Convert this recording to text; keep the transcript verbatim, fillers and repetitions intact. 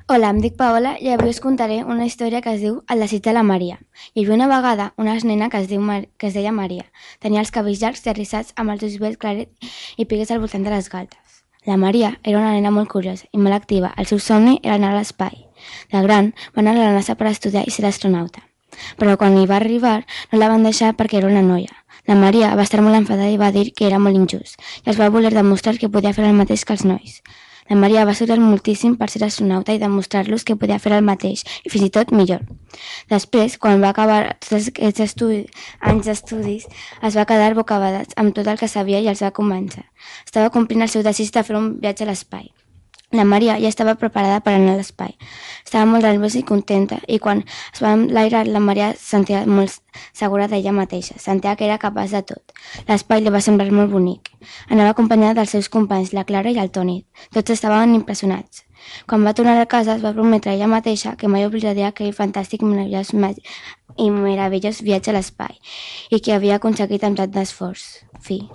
Hola, em dic Paola i avui us contaré una història que es diu El desig de la Maria. Hi havia una vegada una nena que es, diu Mar... que es deia Maria. Tenia els cabells llargs i arrissats amb els ulls vells clarets i pigues al voltant de les galtes. La Maria era una nena molt curiosa i molt activa. El seu somni era anar a l'espai. De gran va anar a la NASA per estudiar i ser astronauta. Però quan hi va arribar no la van deixar perquè era una noia. La Maria va estar molt enfadada i va dir que era molt injust i es va voler demostrar que podia fer el mateix que els nois. La Maria va estudiar moltíssim per ser astronauta i demostrar-los que podia fer el mateix, i fins i tot millor. Després, quan va acabar tots aquests estudi... anys d'estudis, es va quedar bocabadat amb tot el que sabia i els va convèncer. Estava complint el seu desig de fer un viatge a l'espai. La Maria ja estava preparada per anar a l'espai. Estava molt nerviosa i contenta, i quan es va enlairar, la Maria es sentia molt segura d'ella mateixa. Sentia que era capaç de tot. L'espai li va semblar molt bonic. Anava acompanyada dels seus companys, la Clara i el Toni. Tots estaven impressionats. Quan va tornar a casa, es va prometre ella mateixa que mai oblidaria aquell fantàstic meravellós i meravellós viatge a l'espai i que havia aconseguit amb tant d'esforç. Fi.